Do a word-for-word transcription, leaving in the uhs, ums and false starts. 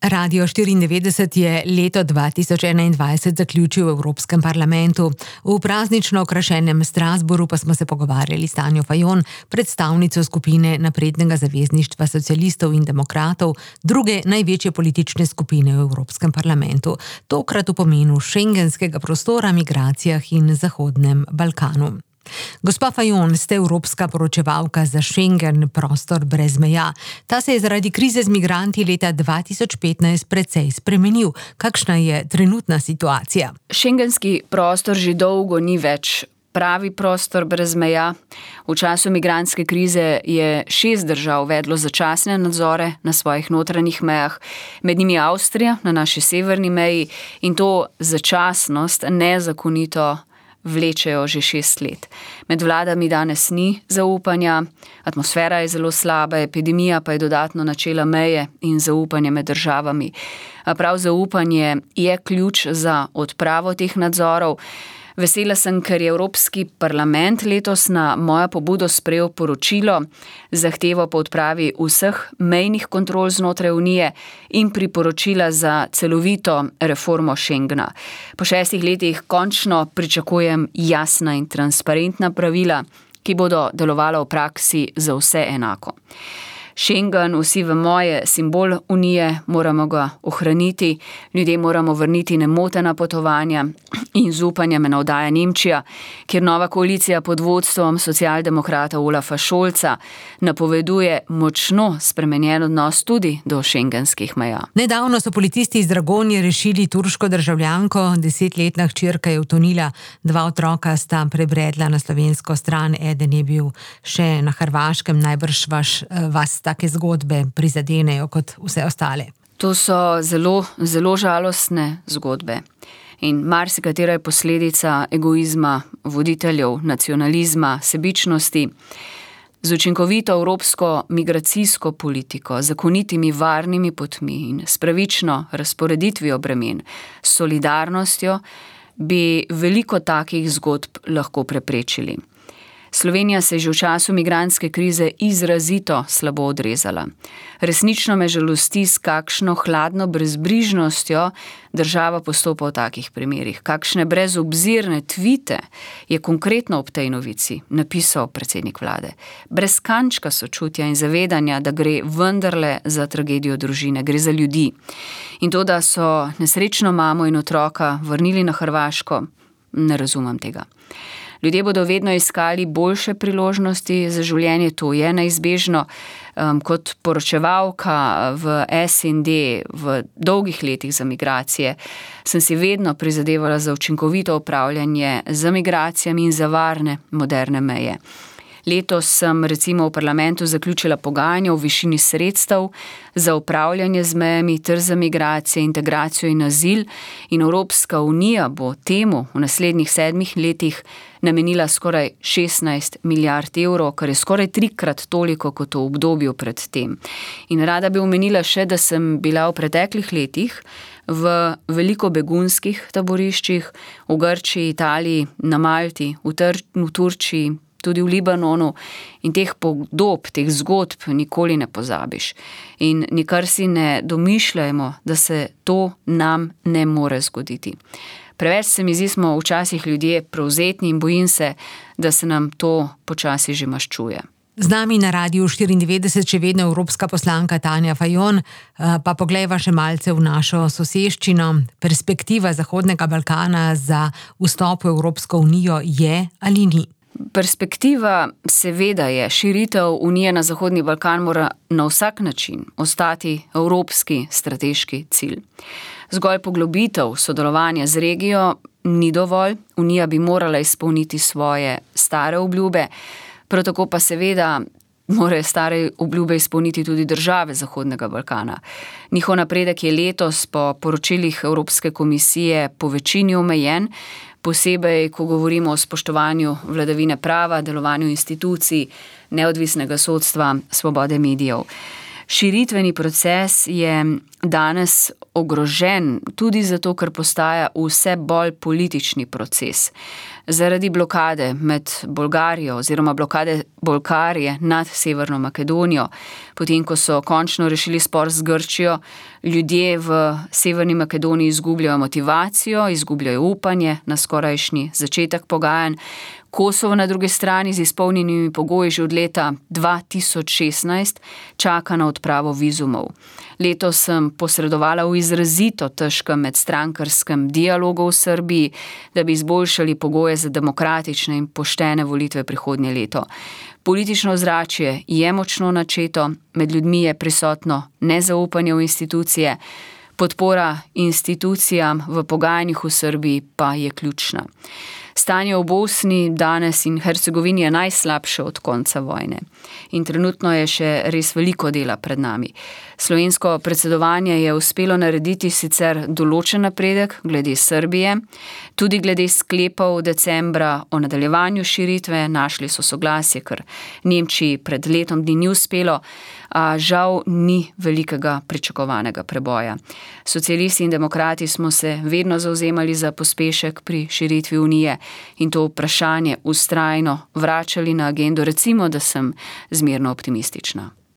Radio štiriindevetdeset je leto dva tisoč enaindvajset zaključil v Evropskem parlamentu. V praznično okrašenem Strasbourgu pa smo se pogovarjali s Tanjo Fajon, predstavnico skupine Naprednega zavezništva socialistov in demokratov, druge največje politične skupine v Evropskem parlamentu. Tokrat v pomenu šengenskega prostora, migracijah in Zahodnem Balkanu. Gospa Fajon, ste evropska poročevalka za Schengen, prostor brez meja. Ta se je zaradi krize z migranti leta dva tisoč petnajst precej spremenil. Kakšna je trenutna situacija? Schengenski prostor že dolgo ni več pravi prostor brez meja. V času migrantske krize je šest držav uvedlo začasne nadzore na svojih notranjih mejah, med njimi Avstrija na naši severni meji, in to začasnost nezakonito vlečejo že šest let. Med vladami danes ni zaupanja, atmosfera je zelo slaba, epidemija pa je dodatno načela meje in zaupanje med državami. A prav zaupanje je ključ za odpravo teh nadzorov. Vesela sem, ker je Evropski parlament letos na mojo pobudo sprejel poročilo, zahtevo po odpravi vseh mejnih kontrol znotraj Unije in priporočila za celovito reformo Schengena. Po šestih letih končno pričakujem jasna in transparentna pravila, ki bodo delovala v praksi za vse enako. Schengen, vsi vemo, je simbol Unije, moramo ga ohraniti, ljudje moramo vrniti nemotena potovanja in zaupanje me navdaja Nemčija, kjer nova koalicija pod vodstvom socialdemokrata Olafa Scholza napoveduje močno spremenjen odnos tudi do šengenskih meja. Nedavno so policisti iz Dragonje rešili turško državljanko, desetletna hčerka je utonila, dva otroka sta prebredla na slovensko stran, eden je bil še na Hrvaškem, najbrž vaš, vas take zgodbe prizadenejo kot vse ostale. To so zelo, zelo žalostne zgodbe. In marsikatera je posledica egoizma voditeljev, nacionalizma, sebičnosti. Z učinkovito evropsko migracijsko politiko, zakonitimi varnimi potmi in s pravično razporeditvijo bremen, s solidarnostjo bi veliko takih zgodb lahko preprečili. Slovenija se je že v času migrantske krize izrazito slabo odrezala. Resnično me žalosti, s kakšno hladno brezbrižnostjo država postopa v takih primerih. Kakšne brezobzirne tvite je konkretno ob tej novici napisal predsednik vlade. Brez kančka sočutja in zavedanja, da gre vendarle za tragedijo družine, gre za ljudi. In to, da so nesrečno mamo in otroka vrnili na Hrvaško, ne razumem tega. Ljudje bodo vedno iskali boljše priložnosti za življenje, to je neizbežno. Um, kot poročevalka v S N D v dolgih letih za migracije sem si vedno prizadevala za učinkovito upravljanje z migracijami in za varne, moderne meje. Letos sem recimo v parlamentu zaključila pogajanja v višini sredstev za upravljanje z mejami ter za migracije, integracijo in azil, in Evropska unija bo temu v naslednjih sedmih letih namenila skoraj šestnajst milijard evrov, kar je skoraj trikrat toliko kot v obdobju pred tem. In rada bi omenila še, da sem bila v preteklih letih v veliko begunskih taboriščih, v Grčiji, Italiji, na Malti, v, Tr- v Turčiji, tudi v Libanonu, in teh podob, teh zgodb nikoli ne pozabiš. In nikar si ne domišljajmo, da se to nam ne more zgoditi. Preveč se mi zdi, smo včasih ljudje prevzetni in bojim se, da se nam to počasi že maščuje. Z nami na Radiu štiriindevetdeset še vedno evropska poslanka Tanja Fajon, pa poglejva še malce v našo soseščino. Perspektiva Zahodnega Balkana za vstop v Evropsko unijo je ali ni? Perspektiva seveda je. Širitev Unije na Zahodni Balkan mora na vsak način ostati evropski strateški cilj. Zgolj poglobitev sodelovanja z regijo ni dovolj. Unija bi morala izpolniti svoje stare obljube, prav tako pa seveda morajo stare obljube izpolniti tudi države Zahodnega Balkana. Njihov napredek je letos po poročilih Evropske komisije po večini omejen, posebej, ko govorimo o spoštovanju vladavine prava, delovanju institucij, neodvisnega sodstva, svobode medijev. Širitveni proces je danes ogrožen tudi zato, ker postaja vse bolj politični proces. Zaradi blokade med Bolgarijo oziroma blokade Bolgarije nad Severno Makedonijo, potem ko so končno rešili spor z Grčijo, ljudje v Severni Makedoniji izgubljajo motivacijo, izgubljajo upanje na skorajšnji začetek pogajanj. Kosovo na drugi strani z izpolnjenimi pogoji že od leta dva tisoč šestnajst čaka na odpravo vizumov. Letos sem posredovala v izrazito težkem medstrankarskem dialogu v Srbiji, da bi izboljšali pogoje za demokratične in poštene volitve prihodnje leto. Politično ozračje je močno načeto, med ljudmi je prisotno nezaupanje v institucije, podpora institucijam v pogajanjih v Srbiji pa je ključna. Stanje v Bosni danes in Hercegovini je najslabše od konca vojne in trenutno je še res veliko dela pred nami. Slovensko predsedovanje je uspelo narediti sicer določen napredek glede Srbije, tudi glede sklepov decembra o nadaljevanju širitve, našli so soglasje, ker Nemčiji pred letom dni ni uspelo, a žal ni velikega pričakovanega preboja. Socialisti in demokrati smo se vedno zavzemali za pospešek pri širitvi Unije in to vprašanje vztrajno vračali na agendo, recimo, da sem zmerno optimistična.